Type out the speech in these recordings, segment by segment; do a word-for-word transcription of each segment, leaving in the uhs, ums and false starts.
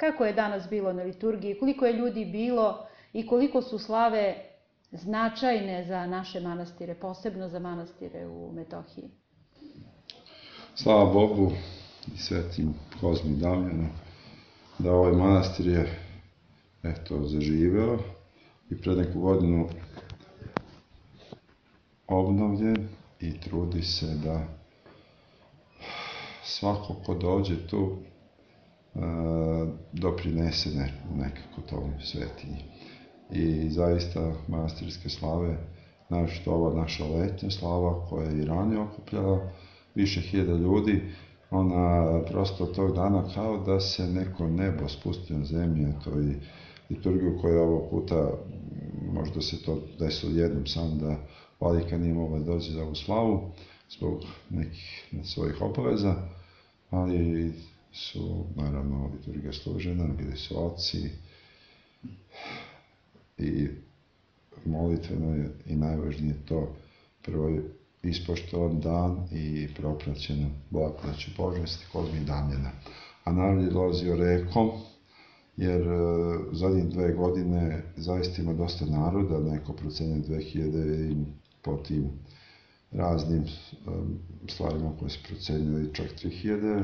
Kako je danas bilo na liturgiji, koliko je ljudi bilo i koliko su slave značajne za naše manastire, posebno za manastire u Metohiji? Slava Bogu i svetim Kozmi i Damjanu da ovaj manastir je eto, zaživeo i pred neku godinu obnovljen i trudi se da svako ko dođe tu doprinese nekako tom svetinji. I zaista manastirske slave, našto ova naša letnja slava koja je i ranije okupljala više hiljada ljudi, ona prosto tog dana kao da se neko nebo spusti na zemlju, to i liturgiju koja je ovog puta, možda se to desilo jednom sam da vladika nije mogla da dođe za ovu slavu zbog nekih svojih obaveza, ali su, naravno, liturgija služena, bili su oci i molitveno je i najvažnije to prvo je ispoštovan dan i propraćena blagodaću Božnosti Kozmi i Damjana. A narod je dolazio rekom, jer zadnjih dve godine zaista ima dosta naroda, neko procenje dve hiljade i po tim raznim stvarima koje se procenjali čak tri hiljade,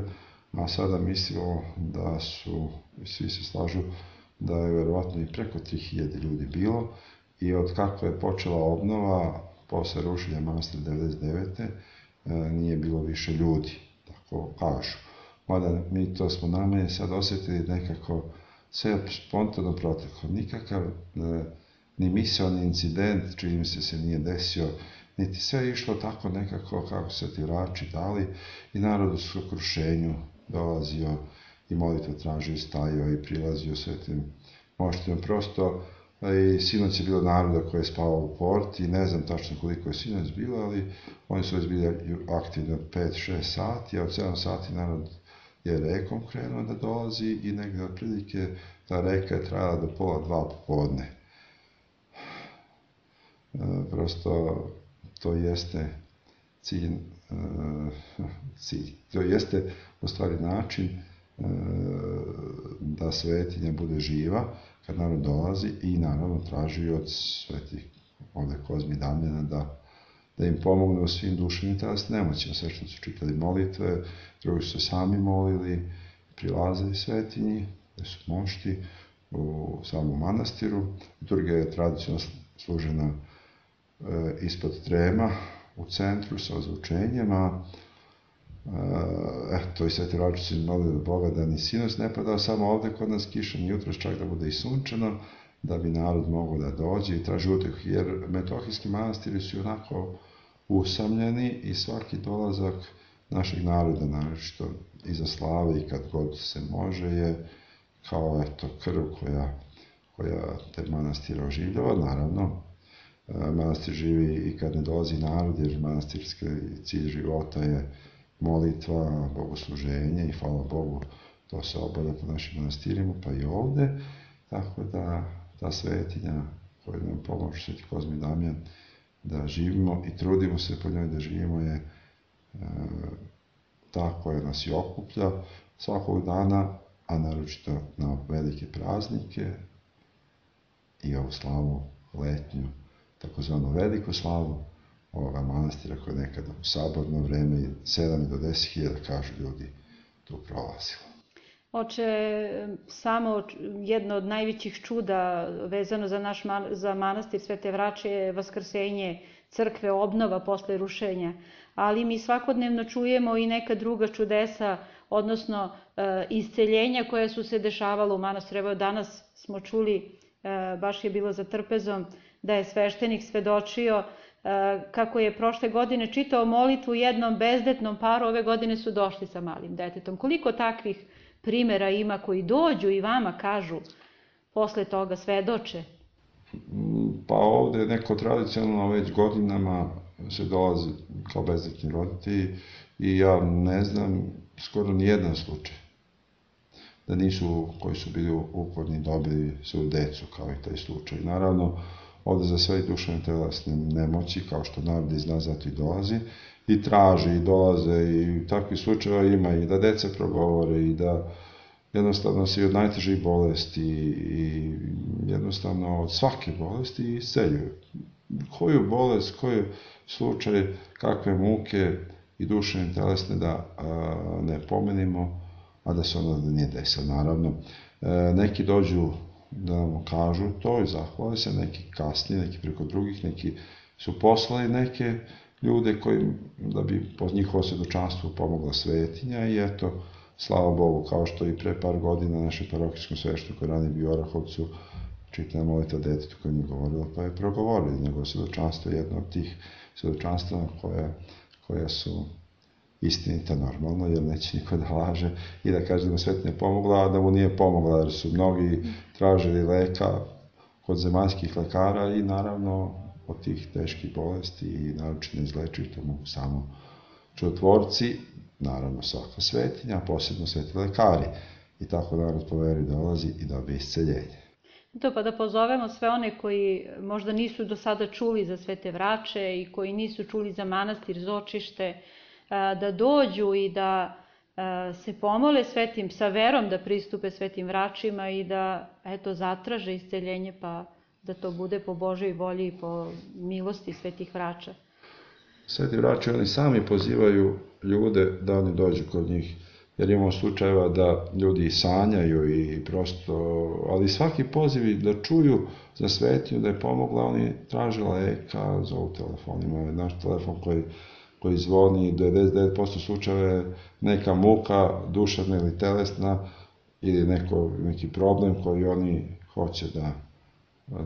a sada mislimo da su, svi se slažu, da je verovatno i preko tri hiljade ljudi bilo i od kako je počela obnova, posle rušenja manastira devedeset devete nije bilo više ljudi, tako kažu. Mada mi to smo najmanje sad osjetili nekako sve spontano proteklo. Nikakav ni misaoni incident, čini mi se se nije desio, niti sve je išlo tako nekako kako se ti vrači dali i narod u skrušenju dolazio i molitvu tražio, stajao i prilazio svetim moštima. Prosto i sinoć je bilo naroda koji je spavao u porti i ne znam tačno koliko je sinoć bilo, ali oni su već bili aktivni od pet šest sati, a od sedam sati narod je rekom krenuo da dolazi i negde otprilike ta reka je trajala do pola dva popodne. Prosto to jeste cilj, cilj, to jeste u stvari način da svetinja bude živa kad narod dolazi i naravno traži od svetih ovde Kozmi i Damjana da, da im pomogne u svim duševnim i telesnim nemoćima. Sve što su čitali molitve, drugi su se sami molili, prilazili svetinji, gde su mošti u samom manastiru. Liturgija je tradicionalno služena e, ispod trema u centru sa ozvučenjem, a eto i sveti Raču su molili od Boga da ni sinoć ne padao samo ovde kod nas kiša, ni jutros čak da bude i sunčano, da bi narod mogao da dođe i traži utehu, jer metohijski manastiri su onako usamljeni i svaki dolazak našeg naroda, naročito iza slave i kad god se može, je kao eto krv koja, koja te manastire oživljava. Naravno, manastir živi i kad ne dolazi narod, jer manastirski cilj života je molitva, bogosluženje i hvala Bogu, to se obavlja po našim manastirima, pa i ovde, tako da ta svetinja koja nam pomože sveti Kozmi i Damjan da živimo i trudimo se po njoj da živimo je e, ta koja nas i okuplja svakog dana, a naročito na velike praznike i ovu slavu letnju, takozvanu veliku slavu ovoga manastira koja je nekada u saborno vreme sedam do deset hiljada, kažu ljudi, tu prolazilo. Oče, samo jedno od najvećih čuda vezano za naš za manastir Svete Vrače je vaskrsenje crkve, obnova posle rušenja, ali mi svakodnevno čujemo i neka druga čudesa, odnosno isceljenja koja su se dešavala u manastiru. Evo danas smo čuli, baš je bilo za trpezom, da je sveštenik svedočio kako je prošle godine čitao molitvu jednom bezdetnom paru, ove godine su došli sa malim detetom. Koliko takvih primera ima koji dođu i vama kažu, posle toga svedoče? Pa ovde neko tradicionalno već godinama se dolazi kao bezdetni roditelji i ja ne znam skoro ni jedan slučaj da nisu, koji su bili uporni, dobili svoju decu kao i taj slučaj. Naravno, ovde za sve duševne telesne nemoći, kao što narod iz nas zato i dolazi, i traži, i dolaze, i takvi slučajeva ima, i da deca progovore, i da jednostavno se i od najtežih bolesti i jednostavno od svake bolesti isceljuju. Koju bolest, koji slučaj, kakve muke i duševne i telesne da a, ne pomenimo, a da se ono da nije desilo, naravno. E, neki dođu da nam kažu to i zahvale se, neki kasnije, neki preko drugih, neki su poslali neke ljude koji, da bi po njihovo svjedočanstvu pomogla svetinja i eto, slava Bogu, kao što i pre par godina našem parohijskom svešteniku koji rani bio u Orahovcu, čitana molitva detetu koja mi je govorila, pa je progovorili. Njegovo svjedočanstvo je jedno od tih svjedočanstva koja, koja su istinita normalno, jer neće niko da laže i da kaže da mu svetinja pomogla, a da mu nije pomogla, jer su mnogi tražili leka kod zemaljskih lekara i naravno od tih teških bolesti i naročito neizlečivih, to mogu samo čudotvorci, naravno svaka svetinja, posebno sveti lekari. I tako narod po veri dolazi i dobije isceljenje. To pa da pozovemo sve one koji možda nisu do sada čuli za Svete Vrače i koji nisu čuli za manastir Zočište, da dođu i da se pomole svetim, sa verom da pristupe Svetim Vračima i da eto zatraže isceljenje, pa da to bude po Božoj volji i po milosti Svetih Vrača. Sveti Vrači, oni sami pozivaju ljude da oni dođu kod njih, jer imamo slučajeva da ljudi sanjaju i prosto, ali svaki poziv da čuju za svetinju, da je pomogla, oni traže leka, zovu telefonima, naš telefon koji, koji zvoni, devedeset devet posto slučajeva je neka muka, duševna ili telesna, ili neko, neki problem koji oni hoće da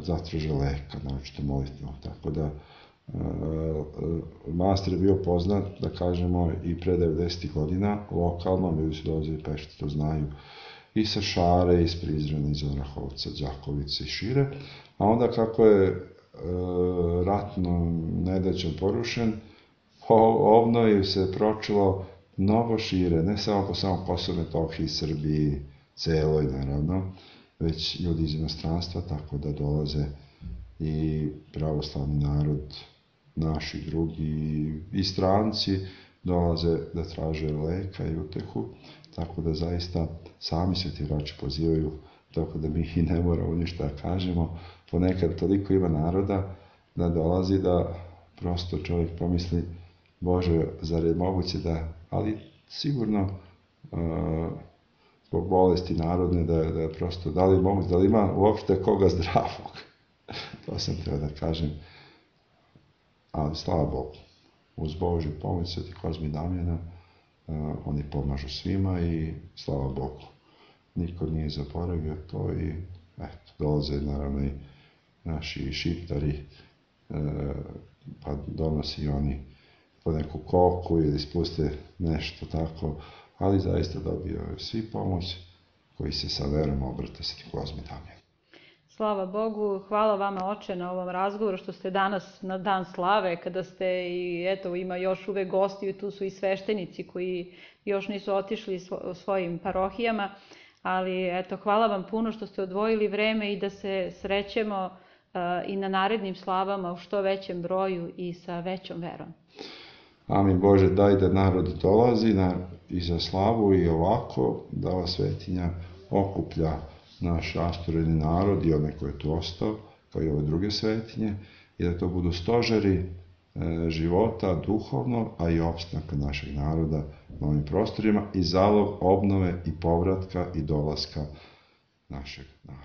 zatraže leka, naročito molitvom, tako da manastir je bio poznat, da kažemo, i pre devedesetih godina, lokalno, ljudi su dolazili Pešti, to znaju, i sa Šare, iz Prizrena, iz Orahovca, Đakovice i šire, a onda kako je e, ratno nedaćom porušen, obnovi se pročilo mnogo šire, ne samo po samom Kosovu i Metohiji, Srbiji, celoj, naravno, već ljudi iz inostranstva, tako da dolaze i pravoslavni narod, naši drugi i stranci dolaze da traže leka i utehu, tako da zaista sami Sveti Vrači pozivaju, tako da mi i ne moramo ništa da kažemo. Ponekad toliko ima naroda da dolazi da prosto čovjek pomisli, Bože, zar je moguće da, ali sigurno zbog bolesti narodne da, da prosto, da li moguće, da li ima uopšte koga zdravog. To sam treba da kažem. Ali slava Bogu, uz Božju pomoć Sveti Kozmi i Damjana, uh, oni pomažu svima i slava Bogu. Niko nije zaboravio to i eto, dolaze naravno i naši šiptari, uh, pa donosi oni po neku koku ili spuste nešto tako, ali zaista dobio svi pomoć koji se sa verom obrate Sveti Kozmi i Damjan. Slava Bogu, hvala vama oče na ovom razgovoru što ste danas na dan slave, kada ste i eto ima još uvek gosti, tu su i sveštenici koji još nisu otišli svojim parohijama, ali eto hvala vam puno što ste odvojili vreme i da se srećemo uh, i na narednim slavama u što većem broju i sa većom verom. Amin Bože, daj da narod dolazi na, i za slavu i ovako, da ova svetinja okuplja naš rastureni narod i onaj koji je tu ostao, kao i ove druge svetinje, i da to budu stožeri e, života duhovno, a i opstanka našeg naroda na ovim prostorima i zalog obnove i povratka i dolaska našeg naroda.